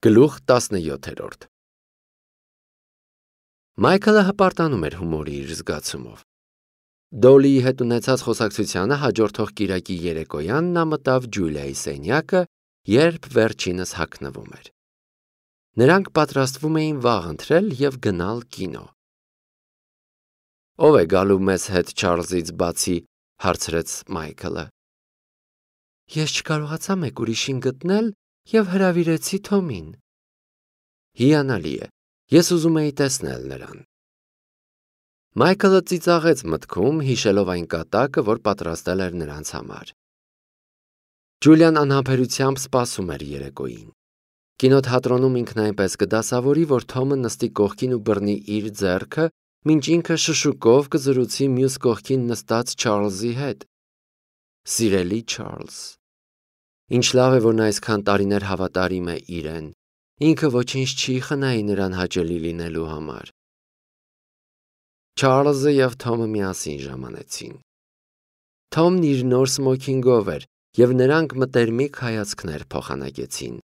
Գլուխ 17 Մայքլը հպարտանում էր հումորի իր զգացումով։ Դոլիի հետ ունեցած խոսակցությանը հաջորդող կիրակի երեկոյան նա մտավ Ջուլիայի սենյակը, երբ վերջինս հագնվում էր։ Նրանք պատրաստվում էին վաղ ընթրել և գնալ կինո։ Ո՞վ է գալու մեզ հետ Չարլզից բացի, հարցրեց Մայքլը։ Ես չկարողացա մեկ ուրիշին գտնել և հրավիրեցի Թոմին։ Հիանալի է, ես ուզում էի տեսնել նրան։ Մայքլը ծիծաղեց մտքում, հիշելով այն կատակը, որ պատրաստել էր նրանց համար։ Ջուլիան անհամբերությամբ սպասում էր երեկոյին։ Կինոթատրոնում ինքն այնպես կդասավորի, որ Թոմը նստի կողքին ու բռնի իր ձեռքը, մինչ ինքը շշուկով կզրուցի մյուս կողքին նստած Չարլզի հետ։ Սիրելի Չարլզ։ Ինչ լավ է, որ նա այսքան տարիներ հավատարիմ է իրեն։ Ինքը ոչինչ չի խնայի նրան հաճելի լինելու համար։ Չարլզը և Թոմը միասին ժամանեցին։ Թոմն իր նոր սմոքինգով էր, և նրանք մտերմիկ հայացքներ փոխանակեցին։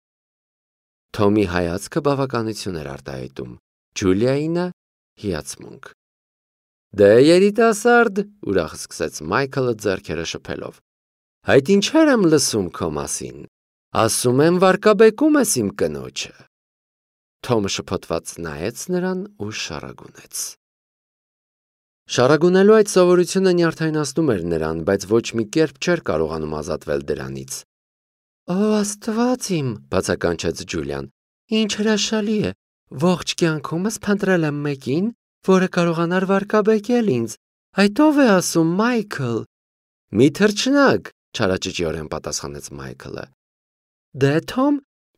Թոմի հայացքը բավականություն էր արտահայտում, Ջուլիայինը՝ հիացմունք։ Դե երիտասարդ, ուրախ սկսեց Մայքլը ձեռքերը շփելով։ Այդ ինչեր եմ լսում քո մասին։ Ասում եմ վարկաբեկում ես իմ կնոջը։ Թոմը շփոթված նայեց նրան ու շառագունեց։ Շառագունելու այդ սովորությունը նյարդայնացնում էր նրան, բայց ոչ մի կերպ չէր կարողանում ազատվել դրանից։ Ո Աստված իմ, բացականչեց Ջուլիան, ինչ հրաշալի է, ողջ կյանքումս փնտրել եմ մեկին, որը կարողանար վարկաբեկել ինձ։ Այդ ով է ասում, Մայքլ։ Մի թռչնակ, չարաճճիորեն պատասխանեց Մայքլը։ Դե Թոմ,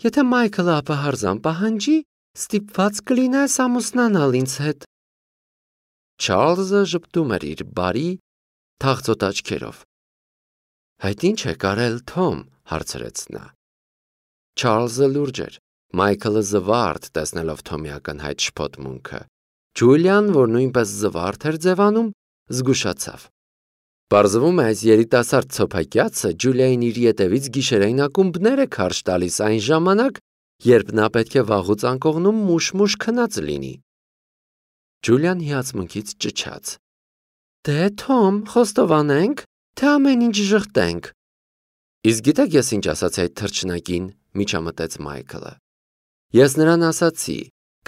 եթե Մայքլը ապահարզան պահանջի, ստիպված կլինես ամուսնանալ ինձ հետ։ Չարլզը ժպտում էր իր բարի, թախծոտ աչքերով։ Այդ ինչ է կարել Թոմ, հարցրեց նա։ Չարլզը լուրջ էր, Մայքլը զվարթ տեսնելով Թոմի ակնհայտ շփոթմունքը։ Ջուլիան, որ նույնպես զվարթ էր ձևանում, զգուշացավ։ Պարզվում է, այս երիտասարդ ցոփակյացը Ջուլիային իր ետևից գիշերային ակումբներ է քարշ տալիս այն ժամանակ, երբ նա պետք է վաղուց անկողնում մուշ-մուշ քնած լինի։ Ջուլիան հիացմունքից ճչաց։ Դե Թոմ, խոստովանենք, թե ամեն ինչ ժխտենք։ Իսկ գիտեք ես ինչ ասացի այդ թռչնակին, միջամտեց Մայքլը։ Ես նրան ասացի,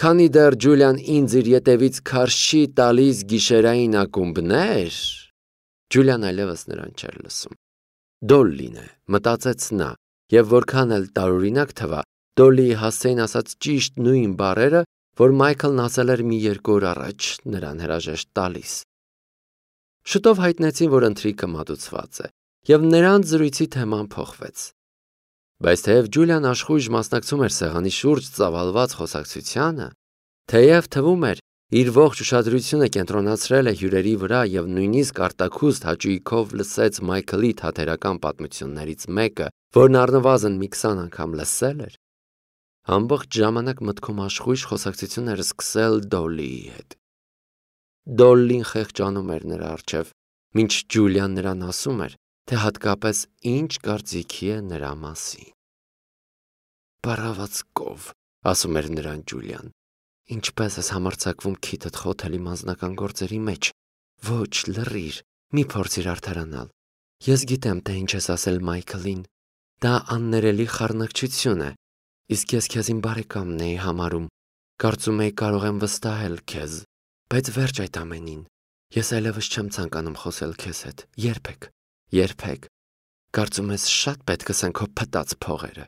քանի դեռ Ջուլիան ինձ իր ետևից քարշ չի տալիս գիշերային ակումբներ։ Ջուլիան այլևս նրան չէր լսում։ Դոլլին է, մտածեց նա, և որքան էլ տարօրինակ թվա, Դոլլիի հասցեին ասած ճիշտ նույն բառերը, որ Մայքլն ասել էր մի երկու օր առաջ նրան հրաժեշտ տալիս։ Շուտով հայտնեցին, որ ընթրիքը մատուցված է, և նրանց զրույցի թեման փոխվեց։ Բայց թեև Ջուլիան աշխույժ մասնակցում էր սեղանի շուրջ ծավալված խոսակցությանը, թեև թվում էր, իր ողջ ուշադրությունը կենտրոնացրել է հյուրերի վրա և նույնիսկ արտաքուստ հաճույքով լսեց Մայքլի թատերական պատմություններից մեկը, որն առնվազն մի 20 անգամ լսել էր, ամբողջ ժամանակ մտքում աշխույժ խոսակցություն էր սկսել Դոլլիի հետ։ Դոլլին խեղճանում էր նրա առջև, մինչ Ջուլիան նրան ասում էր, թե հատկապես ինչ կարծիքի է նրա մասին։ Բարավացկով, ասում էր նրան Ջուլիան, ինչպես ես համարձակվում քիթդ խոթել իմ անձնական գործերի մեջ։ Ոչ, լռիր, մի փորձիր արդարանալ։ Ես գիտեմ, թե ինչ ես ասել Մայքլին։ Դա աններելի խառնակցություն է, իսկ ես քեզ իմ բարեկամն էի համարում, կարծում էի կարող եմ վստահել քեզ, բայց վերջ այդ ամենին։ Ես այլևս չեմ ցանկանում խոսել քեզ հետ, երբեք։ Կարծում ես շատ պետք է քո փտած փողերը։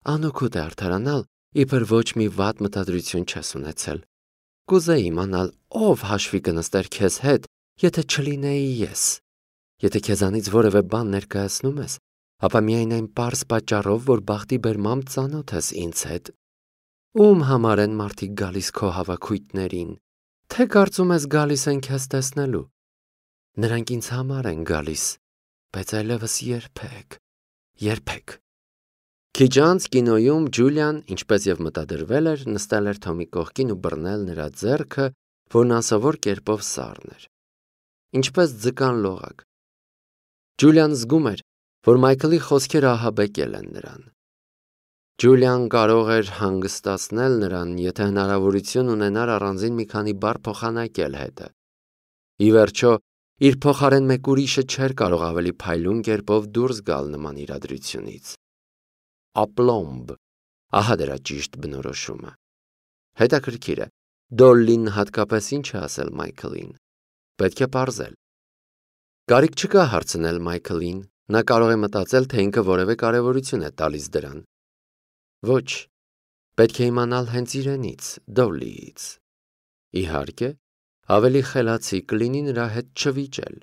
Անօգուտ է արդարանալ, իբր ոչ մի վատ մտադրություն չես ունեցել։ Կուզեի իմանալ, ով հաշվի կնստեր քեզ հետ, եթե չլինեի ես։ Եթե քեզանից որևէ բան ներկայացնում ես, ապա միայն այն պարզ պատճառով, որ բախտի բերմամբ ծանոթ ես ինձ հետ։ Ում համար են մարդիկ գալիս քո հավաքույթներին, թե կարծում ես գալիս են քեզ տեսնելու։ Նրանք ինձ համար են գալիս, բայց այլևս երբեք։ Քիչ անց կինոյում Ջուլիան, ինչպես և մտադրվել էր, նստել էր Թոմի կողքին ու բռնել նրա ձեռքը, որն անսովոր կերպով սառն էր։ Ինչպես ձկան լողակ։ Ջուլիան զգում էր, որ Մայքլի խոսքերը ահաբեկել են նրան։ Ջուլիան կարող էր հանգստացնել նրան, եթե հնարավորություն ունենար առանձին մի քանի բառ փոխանակել հետը։ Ի վերջո, իր փոխարեն մեկ ուրիշը չէր կարող ավելի փայլուն կերպով դուրս գալ նման իրադրությունից։ Ապլոմբ, ահա դրա ճիշտ բնորոշումը։ Հետաքրքիր է, Դոլլին հատկապես ինչ է ասել Մայքլին։ Պետք է պարզել։ Կարիք չկա հարցնել Մայքլին, նա կարող է մտածել, թե ինքը որևէ կարևորություն է տալիս դրան։ Ոչ, պետք է իմանալ հենց իրենից, Դոլլիից։ Իհարկե, ավելի խելացի կլինի նրա հետ չվիճել։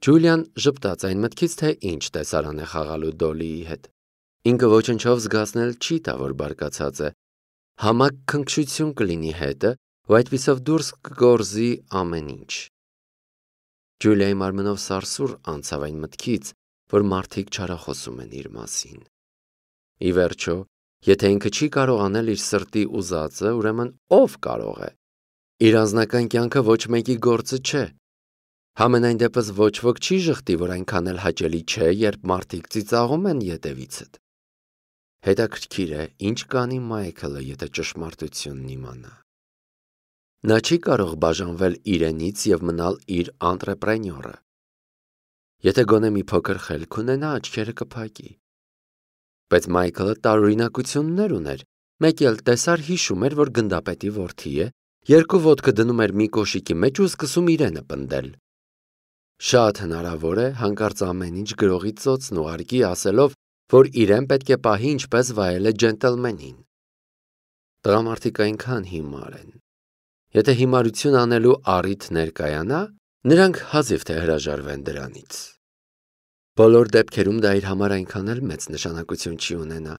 Ջուլիան ժպտաց այն մտքից, թե ինչ տեսարան է խաղալու Դոլլիի հետ։ Ինքը ոչնչով զգացնել չի տա, որ բարկացած է։ Համակ քնքշություն կլինի հետը, ու այդպիսով դուրս կգործի ամեն ինչ։ Ջուլիայի մարմնով սարսուռ անցավ այն մտքից, որ մարդիկ չարախոսում են իր մասին։ Ի վերջո, եթե ինքը չի կարող անել իր սրտի ուզածը, ուրեմն ով կարող է։ Իր անձնական կյանքը ոչ մեկի գործը չէ։ Համենայն դեպս ոչ ոք չի ժխտի, որ այնքան էլ հաճելի չէ, երբ մարդիկ ծիծաղում են ետևիցդ։ Հետաքրքիր է, ինչ կանի Մայքլը, եթե ճշմարտությունն իմանա։ Նա չի կարող բաժանվել իրենից և մնալ իր անտրեպրենյորը։ Եթե գոնե մի փոքր խելք ունենա, աչքերը կփակի։ Բայց Մայքլը տարօրինակություններ ուներ, մեկ էլ տեսար հիշում էր, որ գնդապետի որդի է, երկու ոտքը դնում էր մի կոշիկի մեջ ու սկսում իրենը պնդել։ Շատ հնարավոր է, հանկարծ ամեն ինչ գրողի ծոցն ուղարկի, ասելով, որ իրեն պետք է պահի ինչպես վայել է ջենտլմենին։ Տղամարդիկ այնքան հիմար են։ Եթե հիմարություն անելու առիթ ներկայանա, նրանք հազիվ թե հրաժարվեն դրանից։ Բոլոր դեպքերում դա իր համար այնքան էլ մեծ նշանակություն չի ունենա։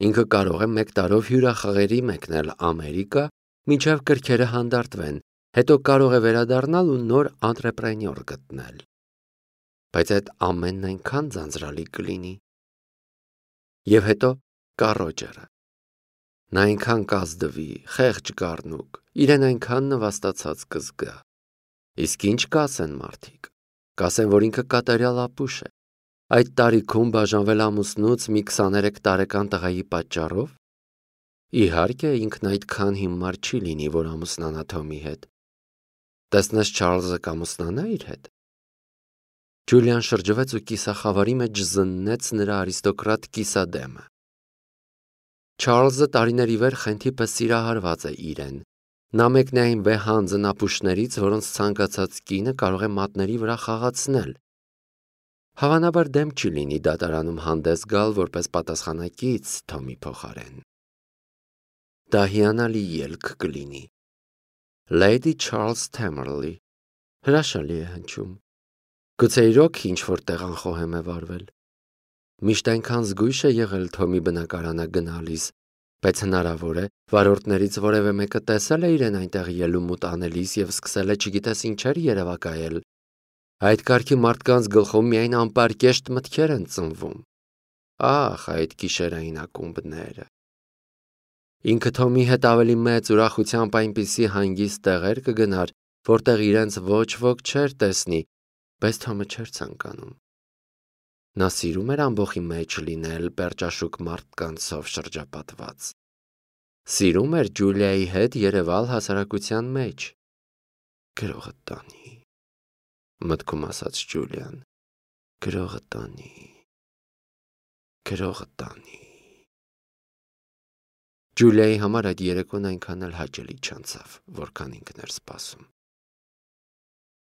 Ինքը կարող է 1 տարով հյուրախաղերի մեկնել Ամերիկա, մինչև կրքերը հանդարտվեն, հետո կարող է վերադառնալ ու նոր անտրեպրենյոր գտնել։ Բայց այդ ամենն այնքան ձանձրալի կլինի։ Եվ հետո կա Ռոջերը։ Նա այնքան կազդվի, խեղճ գառնուկ, իրեն այնքան նվաստացած կզգա։ Իսկ ինչ կասեն մարդիկ։ Կասեն, որ ինքը կատարյալ ապուշ է։ Այդ տարիքում բաժանվել ամուսնուց մի 23 տարեկան տղայի պատճառով։ Իհարկե, ինքն այդքան հիմար չի լինի, որ ամուսնանա Թոմի հետ։ Տեսնես Չարլզը կամուսնանա իր հետ։ Ջուլիան շրջվեց ու կիսախավարի մեջ զննեց նրա արիստոկրատ կիսադեմը։ Չարլզը տարիների վեր խենթի պես սիրահարված է իրեն։ Նա մեկն է այն վեհանձն ապուշներից, որոնց ցանկացած կինը կարող է մատների վրա խաղացնել։ Հավանաբար դեմ չի լինի դատարանում հանդես գալ որպես պատասխանակից Թոմի փոխարեն։ Դա հիանալի ելք կլինի։ Lady Charles Tamerley, հրաշալի է հնչում։ Գուցե իրոք ինչ-որ տեղ անխոհեմ է վարվել։ Միշտ այնքան զգույշ է եղել Թոմի բնակարանը գնալիս, բայց հնարավոր է վարորդներից որևէ մեկը տեսել է իրեն այնտեղ ելումուտ անելիս և սկսել է չգիտես ինչեր երևակայել։ Այդ կարգի մարդկանց գլխում միայն անպարկեշտ մտքեր են ծնվում։ Ախ, այդ գիշերային ակումբները։ Ինքը Թոմի հետ ավելի մեծ ուրախությամբ այնպիսի հանգիստ տեղեր կգնար, որտեղ իրենց ոչ ոք չէր տեսնի, բայց Թոմը չէր ցանկանում։ Նա սիրում էր ամբոխի մեջ լինել պերճաշուք մարդկանցով շրջապատված։ Սիրում էր Ջուլիայի հետ երևալ հասարակության մեջ։ Գրողը տանի, մտքում ասաց Ջուլիան։ Գրողը տանի, գրողը տանի։ Ջուլիայի համար այդ երեկոն այնքան էլ հաճելի չանցավ, որքան ինքն էր սպասում։